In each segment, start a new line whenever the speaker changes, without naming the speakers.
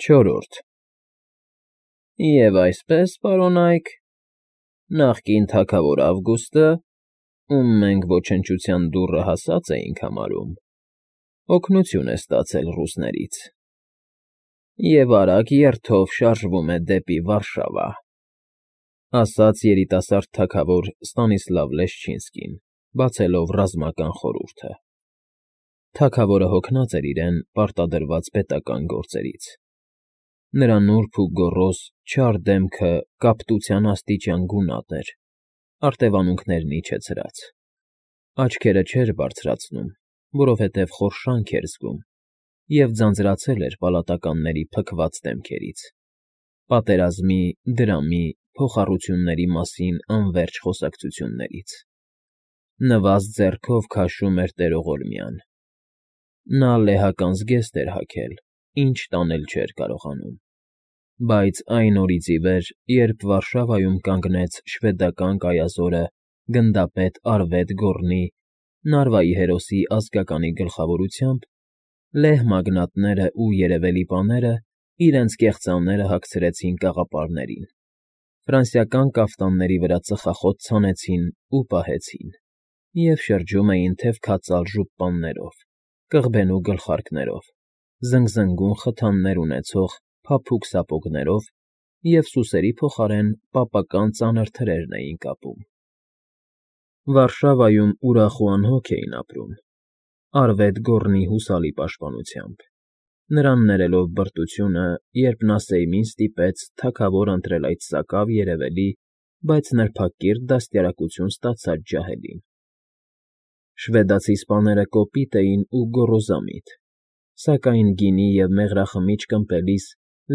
Չորրորդ Եվ այսպես, պարոն Այք, նախկին թագավոր Ավգուստը, ում մենք ոչնչության դուռը հասած էինք համարում, օգնություն է ստացել ռուսներից և արագ երթով շարժվում է դեպի Վարշավա, ասաց երիտասարդ թագավոր Ստանիսլավ Լեշչինսկին, բացելով ռազմական խորհուրդը. թագավորը հոգնած էր իրեն պարտադրված պետական գործերից. նրա նուրբ ու գոռոզ չար դեմքը կապտության աստիճան գունատ էր, արտևանունքներն իջեցրած, աչքերը չէր բարձրացնում, որովհետև խորշանք էր զգում, և ձանձրացել էր պալատականների փքված դեմքերից, պատերազմի, դրամի, փոխառությունների մասին անվերջ խոսակցություններից. նվազ ձեռքով քաշում էր տերողորմյան. նա լեհական զգեստ էր հագել, ինչ տանել չէր կարողանում, բայց այն օրից ի վեր, երբ Վարշավայում կանգնեց շվեդական կայազորը գնդապետ Արվետ Գոռնի, Նարվայի հերոսի ազգականի գլխավորությամբ, լեհ մագնատներն ու երևելի պաները իրենց կեղծամները հագցրեցին կաղապարներին, ֆրանսիական կաֆտանների վրա ծխախոտ ցանեցին ու պահեցին, և շրջում էին թևքածալ ժուպաններով, կղբենու գլխարկներով, զնգզնգուն խթաններ ունեցող փափուկ սապոգներով և սուսերի փոխարեն պապական ծանր թրերն էին կապում։ Վարշավայում ուրախ ու անհոգ էին ապրում, Արվետ Գոռնի հուսալի պաշտպանությամբ, նրան ներելով բրտությունը, երբ նա Սեյմին ստիպեց թագավոր ընտրել այդ սակավ երևելի, բայց նրբակիրթ դաստիարակություն ստացած ջահելին։ Շվեդացի սպաները կոպիտ էին ու գոռոզամիտ, սակայն գինի և մեղրախմիչք ըմպելիս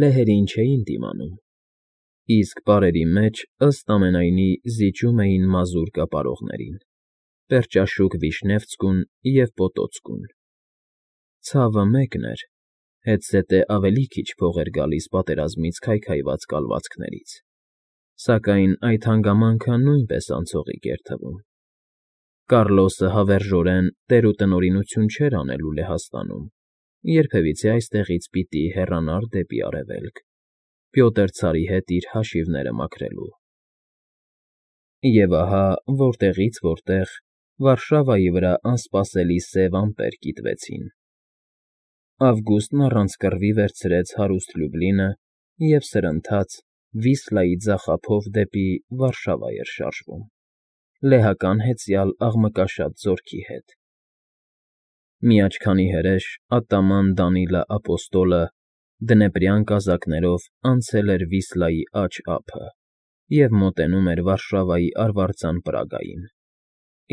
լեհերին չէին դիմանում, իսկ պարերի մեջ, ըստ ամենայնի, զիջում էին մազուր կապարողներին, պերճաշուք Վիշնևցկուն և Պոտոցկուն։ Ցավը մեկն էր, հետզհետե ավելի քիչ փող էր գալիս պատերազմից քայքայված կալվածքներից, սակայն այդ հանգամանքը նույնպես անցողիկ էր թվում։ Կառլոսը հավերժորեն տերուտնօրինություն չէր անելու Լեհաստանում, երբևիցե այստեղից պիտի հեռանար դեպի արևելք, Պյոտր ցարի հետ իր հաշիվները մաքրելու։ Եվ ահա, որտեղից որտեղ, Վարշավայի վրա անսպասելի սև ամպեր կիտվեցին. Ավգուստն առանց կռվի վերցրեց հարուստ Լյուբլինը և սրընթաց Վիսլայի ձախափով դեպի Վարշավա էր շարժվում, լեհական հեծյալ աղմկաշատ զորքի հետ։ Մի աչքանի հրեշ ատաման Դանիլը ապոստոլը դնեպրյան կազակներով անցել էր Վիսլայի աջ ափը և մոտենում էր Վարշավայի արվարձան պրագային,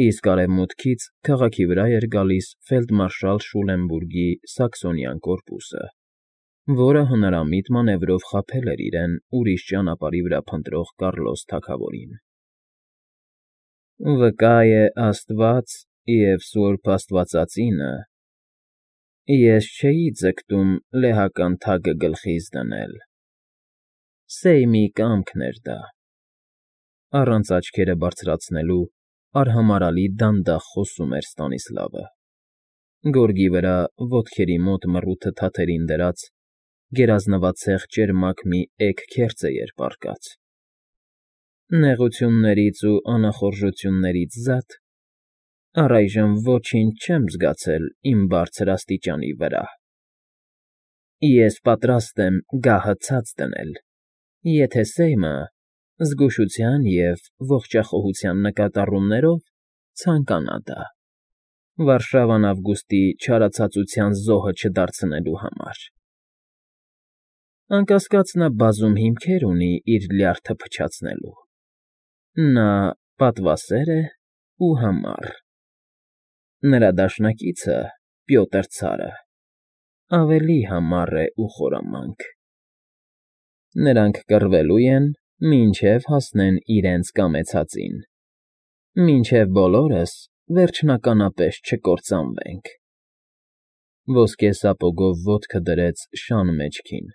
իսկ արևմուտքից քաղաքի վրա էր գալիս ֆելդմարշալ Շուլենբուրգի սաքսոնյան կորպուսը, որը հնարամիտ մանևրով խաբել էր իրեն ուրիշ ճանապարհի վրա փնտրող Կառլոս թագավորին։ Վկա է Աստված և Սուրբ Աստվածածինը, ես չէի ձգտում լեհական թագը գլխիս դնել, Սեյմի կամքն էր դա, առանց աչքերը բարձրացնելու արհամարհալի դանդաղ խոսում էր Ստանիսլավը, գորգի վրա ոտքերի մոտ մռութը թաթերին դրած, գերազնվածեղ ճերմակ մի էգ քերծե էր պառկած։ Նեղություններից ու անախորժություններից զատ առայժմ ոչինչ չեմ զգացել իմ բարձր աստիճանի վրա։ Ես պատրաստ եմ գահը ցած դնել, եթե Սեյմը զգուշության և ողջախոհության նկատառումներով ցանկանա դա, Վարշավան Ավգուստի չարացածության զոհը չդարձնելու համար։ Անկասկած նա բազում հիմքեր ունի իր լյարդը փչացնելու։ Նա պատվասեր է ու համառ։ Նրա դաշնակիցը՝ Պյոտր ցարը, ավելի համառ է ու խորամանկ։ Նրանք կռվելու են, մինչև հասնեն իրենց կամեցածին, մինչև բոլորս վերջնականապես չկործանվենք։ Ոսկե սապոգով ոտքը դրեց շան մեջքին,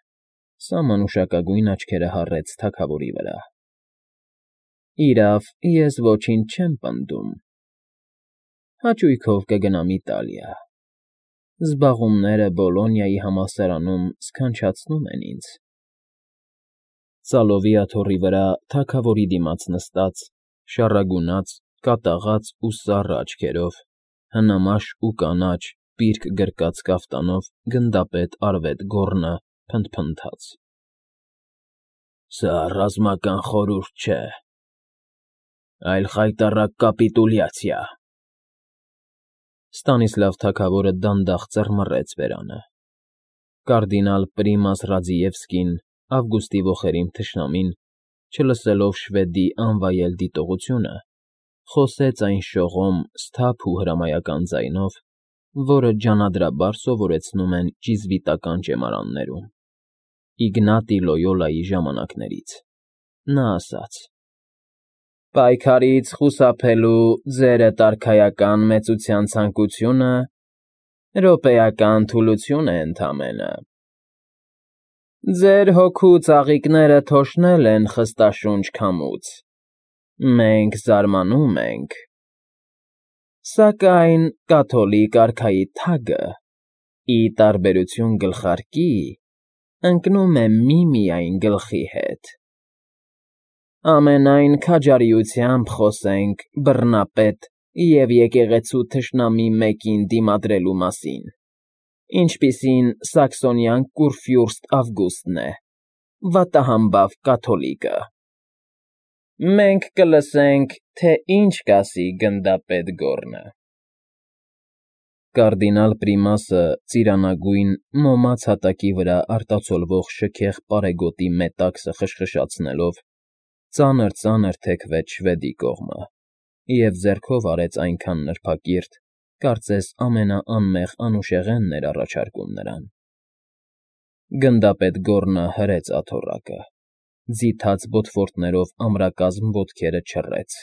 սահմանուշակագույն աչքերը հառեց թագավորի վրա։ Իրավ, ես ոչինչ չեմ պնդում։ Հաճույքով կգնամ Իտալիա, Զբաղումները Բոլոնիայի համալսարանում սքանչացնում են ինձ։ Ծալովի աթոռի վրա թագավորի դիմաց նստած, շառագունած, կատաղած ու սառը աչքերով, հնամաշ ու կանաչ, պիրկ գրկած կաֆտանով գնդապետ Արվետ Գոռնը փնթփնթաց. Սա ռազմական խորհուրդ չէ, այլ խայտառակ կապիտուլյացիա։ Ստանիսլավ թագավորը դանդաղ ծռմռեց բերանը։ Կարդինալ Պրիմաս Ռաձիևսկին, Ավգուստի ոխերիմ թշնամին, չլսելով շվեդի անվայել դիտողությունը, խոսեց այն շողոմ, սթափ ու հրամայական ձայնով, որը ջանադրաբար սովորեցնում են ճիզվիտական ճեմարաններում։ Իգնատի Լոյոլայի ժամանակներից։ Նա ասաց. Պայքարից խուսափելու ձերդ արքայական մեծության ցանկությունը րոպեական թուլություն է ընդամենը։ Ձեր հոգու ծաղիկները թոշնել են խստաշունչ քամուց, մենք զարմանում ենք, սակայն կաթոլիկ արքայի թագը, ի տարբերություն գլխարկի, ընկնում է միմիայն գլխի հետ։ Ամենայն քաջարիությամբ խոսենք բռնապետ և եկեղեցու թշնամի մեկին դիմադրելու մասին, ինչպիսին սաքսոնյան կուրֆյուրստ Ավգուստն է, վատահամբավ կաթոլիկը։ Մենք կլսենք, թե ինչ կասի գնդապետ Գոռնը։ Կարդինալ Պրիմասը ծիրանագույն մոմած հատակի վրա արտացոլվող շքեղ պարեգոտի մետաքսը խշխշացնելով ծանր թեքվեց շվեդի կողմը և ձեռքով արեց այնքան նրբակիրթ, կարծես ամենաանմեղ անուշեղենն էր առաջարկում նրան։ Գնդապետ Գոռնը հրեց աթոռակը, ձիթած բոթվորտներով ամրակազմ ոտքերը չռեց,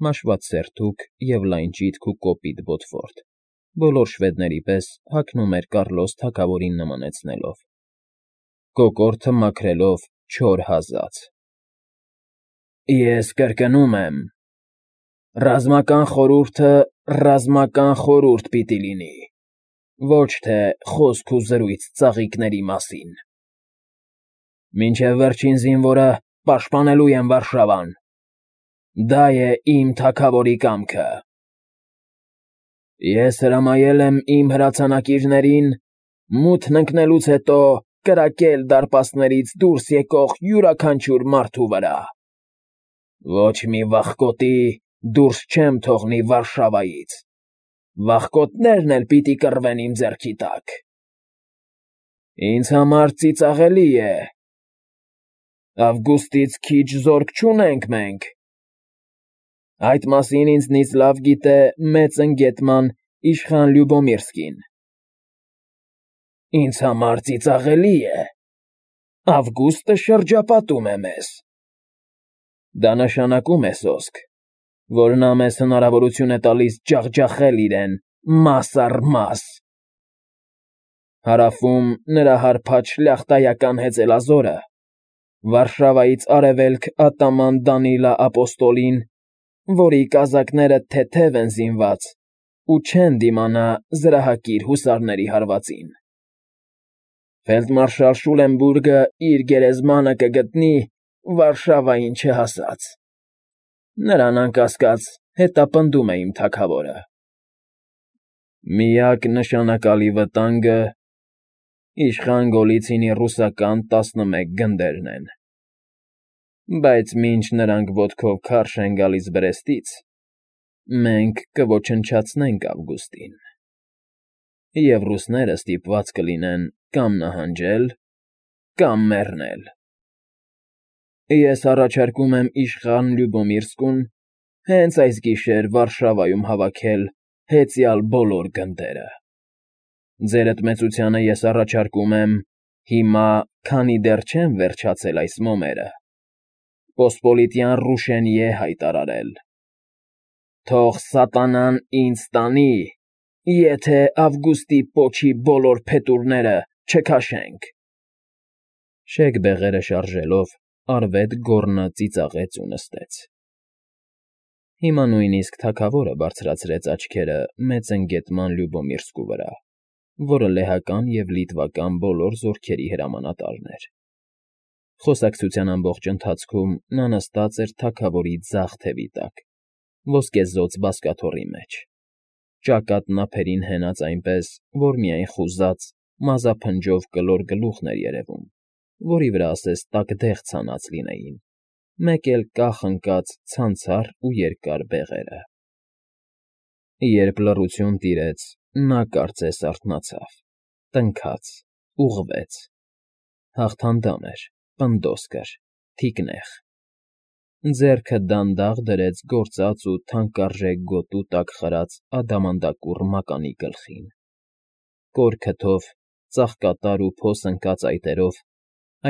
մաշված սերթուկ և լայն ճիտք ու կոպիտ բոթվորտ, բոլոր շվեդների պես հագնում էր Կառլոս թագավորին նմանեցնելով, կոկորդը մաքրելով չոր հազաց։ Ես կրկնում եմ, ռազմական խորհուրդը ռազմական խորհուրդ պիտի լինի, ոչ թե խոսք ու զրույց ծաղիկների մասին։ Մինչև վերջին զինվորը պաշտպանելու եմ Վարշավան։ Դա է իմ թագավորի կամքը։ Ես հրամայել եմ իմ հրացանակիրներին մութն ընկնելուց հետո կրակել դարպասներից դուրս եկող յուրաքանչյուր մարդու վրա։ Ոչ մի վախկոտի դուրս չեմ թողնի Վարշավայից, վախկոտներն էլ պիտի կռվեն իմ ձեռքի տակ։ Ինձ համար ծիծաղելի է։ Ավգուստից քիչ զորք չունենք մենք։ Այդ մասին ինձնից լավ գիտե մեծ ընկետման իշխան Լյուբոմիրսկին։ Ինձ համար ծիծաղելի է։ Ավգուստը շրջապատում է մեզ։ Դա նշանակում է սոսկ, որ նա մեզ հնարավորություն է տալիս ջախջախել իրեն մաս առ մաս։ Հարավում նրա հարբած շլյախտայական հեծելազորը, Վարշավայից արևելք ատաման Դանիլա Ապոստոլին, որի կազակները թեթև են զինված ու չեն դիմանա զրահակիր հուսարների հարվածին։ Ֆելդմարշալ Շուլենբուրգը իր գերեզմանը կգտնի Վարշավային չհասած։ Նրան անկասկած հետապնդում է իմ թագավորը։ Միակ նշանակալի վտանգը իշխան Գոլիցինի ռուսական 11 գնդերն են։ Բայց մինչ նրանք ոտքով քարշ են գալիս Բրեստից, մենք կոչնչացնենք Ավգուստին, և ռուսները ստիպված կլինեն կամ նահանջել, կամ մեռնել։ Ես առաջարկում եմ իշխան Լյուբոմիրսկուն հենց այս գիշեր Վարշավայում հավաքել հեծյալ բոլոր գնդերը։ Ձերդ մեծությանը ես առաջարկում եմ հիմա, քանի դեռ չեմ վերջացել այս մոմերը, պոսպոլիտյան Ռուշենիե հայտարարել։ Թող սատանան ինձ տանի, եթե Ավգուստի պոչի բոլոր փետուրները չքաշենք։ Շեկ բեղերը շարժելով Արվետ Գոռնը ծիծաղեց ու նստեց։ Հիմա նույնիսկ թագավորը բարձրացրեց աչքերը մեծ ընկետման Լյուբոմիրսկու վրա, որը լեհական և լիտվական բոլոր զորքերի հրամանատարն էր։ Խոսակցության ամբողջ ընթացքում նա նստած էր թագավորի ձախ թևի տակ, ոսկեզօծ բազկաթոռի մեջ, ճակատն ափերին հենած այնպես, որ միայն խուզած, մազափնջով կլոր գլուխն էր երևում, որի վրա ասես տակդեղ ցանած լինեին, մեկ էլ կախ ընկած ցանցառ ու երկար բեղերը։ Երբ լռություն տիրեց, նա կարծես արթնացավ, տնքաց, ուղղվեց. հաղթանդամ էր, պնդոս կր, թիկնեղ, ձեռքը դանդաղ դրեց գործած ու թանկարժեք գոտու տակ խրած ադամանդակուռ մականի գլխին, կոր քթով, ծաղկատար ու փոս ընկած այտերով,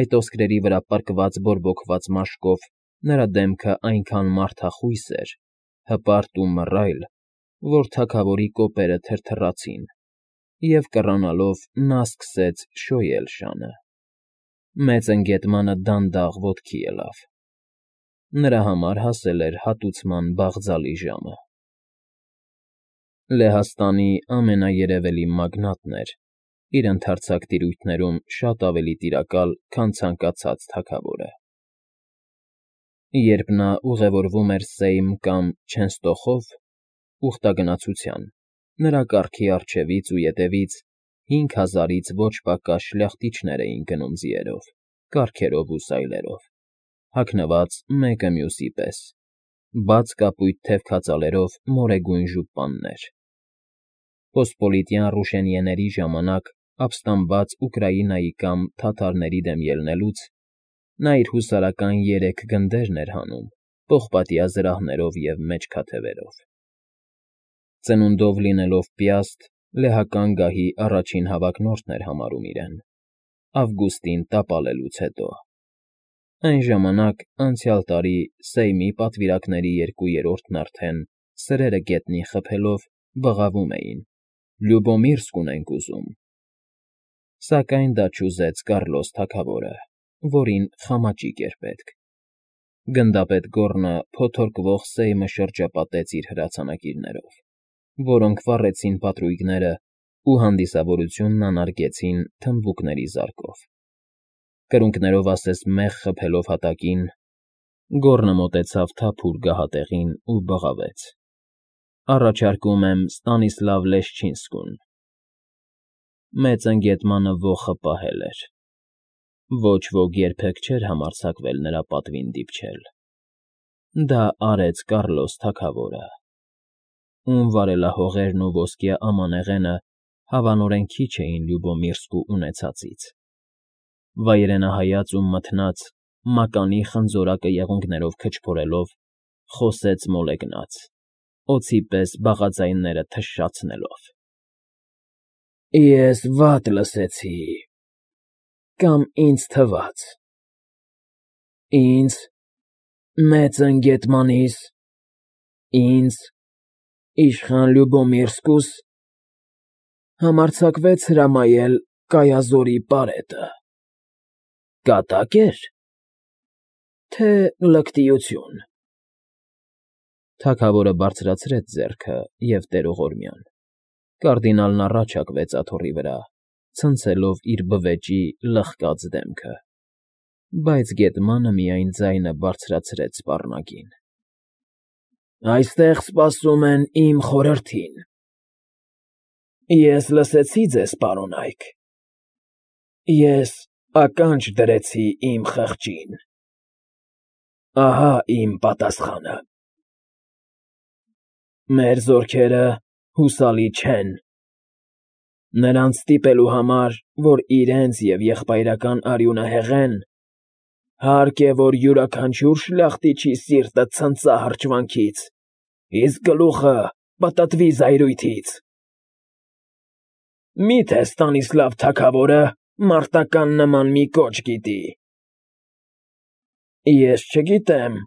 այդ ոսկրերի վրա պրկված բորբոքված մաշկով նրա դեմքը այնքան մարդախույս էր, հպարտ ու մռայլ, որ թագավորի կոպերը թրթռացին, և կռանալով նա սկսեց շոյել շանը։ Մեծընկետմանը դանդաղ ոտքի ելավ. նրա համար հասել էր հատուցման բաղձալի ժամը։ Լեհաստանի ամենաերևելի մագնատն էր, իր ընդարձակ տիրույթներում շատ ավելի տիրակալ, քան ցանկացած թագավորը։ Երբ նա ուղևորվում էր Սեյմ կամ Չենստոխով, ուխտագնացության, նրա կառքի առջևից ու ետևից 5000-ից ոչ պակաս շլյախտիչներ էին գնում ձիերով, կառքերով ու սայլերով, հագնված մեկը մյուսի պես, բաց կապույտ թևքածալերով մորեգույն ժուպաններ։ Պոսպոլիտյան ռուշենիեների ժամանակ ապստամբված Ուկրաինայի կամ թաթարների դեմ ելնելուց նա իր հուսարական 3 գնդերն էր հանում, պողպատյա զրահներով և մեջքաթևերով։ Ծնունդով լինելով Պյաստ, լեհական գահի առաջին հավակնորդն էր համարում իրեն, Ավգուստին տապալելուց հետո։ Այն ժամանակ, անցյալ տարի, Սեյմի պատվիրակների 2/3-ն արդեն, սրերը գետնին խփելով, բղավում էին. «Լյուբոմիրսկ ունենք ուզում»։ Սակայն դա չուզեց Կառլոս թագավորը, որին խամաճիկ էր պետք։ Գնդապետ Գոռնը փոթորկվող Սեյմը շրջապատեց իր հրացանակիրներով, որոնք վառեցին պատրույգները ու հանդիսավորությունն անարգեցին թմբուկների զարկով։ Կրունկներով ասես մեղ խփելով հատակին, Գոռնը մոտեցավ թափուր գահատեղին ու բղավեց. «Առաջարկում եմ Ստանիսլավ Լեշչինսկուն»։ Մեծընկետմանը ոխը պահել էր։ Ոչ ոք երբեք չէր համարձակվել նրա պատվին դիպչել։ Դա արեց Կառլոս թագավորը, ում վարելահողերն ու ոսկյա ամանեղենը հավանորեն քիչ էին Լյուբոմիրսկու ունեցածից։ Վայրենահայաց ու մթնած, մականի խնձորակը եղունգներով քչփորելով, խոսեց մոլեգնած, օձի պես բաղաձայնները թշշացնելով. «Ես վատ լսեցի, կամ ինձ թվաց։ Ինձ, մեծընկետմանիս, ինձ, իշխան Լյուբոմիրսկուս, համարձակվեց հրամայել Կայազորի պարետը։ Կատա՞կ էր, թե լկտիություն»։ Թագավորը բարձրացրեց ձեռքը և տերողորմյան։ Կարդինալն առաջ հակվեց աթոռի վրա, ցնցելով իր բվեճի լխկած դեմքը, բայց գետմանը միայն ձայնը բարձրացրեց սպառնագին. «Այստեղ սպասում են իմ խորհրդին։ Ես լսեցի ձեզ, պարոնայք։ Ես ականջ դրեցի իմ խղճին։ Ահա իմ պատասխանը։ Մեր զորքերը հուսալի չեն։ Նրանց ստիպելու համար, որ իրենց և եղբայրական արյունը հեղեն, հարկ է, որ յուրաքանչյուր շլախտիչի սիրտը ցնծա հրճվանքից, իսկ գլուխը պտտվի զայրույթից։ Մի՞թե Ստանիսլավ թագավորը մարտական նման մի կոչ գիտի։ Ես չգիտեմ։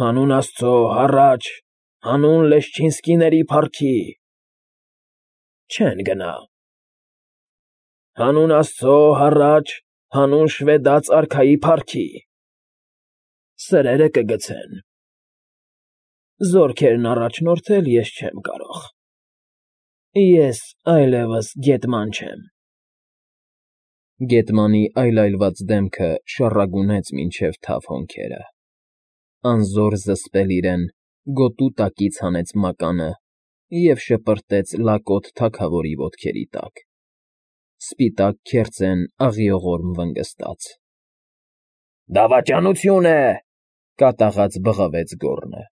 Հանուն աստծո, հառաչ, հանուն Լեշչինսկիների փառքի։ Չեն գնա։ Հանուն աստծո, հառաչ, հանուն շվեդաց արքայի փառքի։ Սրերը կգցեն։ Զորքերն առաջնորդել ես չեմ կարող։ Ես այլևս գետման չեմ։ Գետմանի այլայլված դեմքը շառագունեց մինչև թավ հոնքերը, անզոր զսպել իրեն գոտու տակից հանեց մականը և շպրտեց լակոտ թագավորի ոտքերի տակ, սպիտակ քերծեն աղիողորմ վնգստաց։ ֊ Դավաճանություն է,֊ կատաղած բղավեց գոռնը։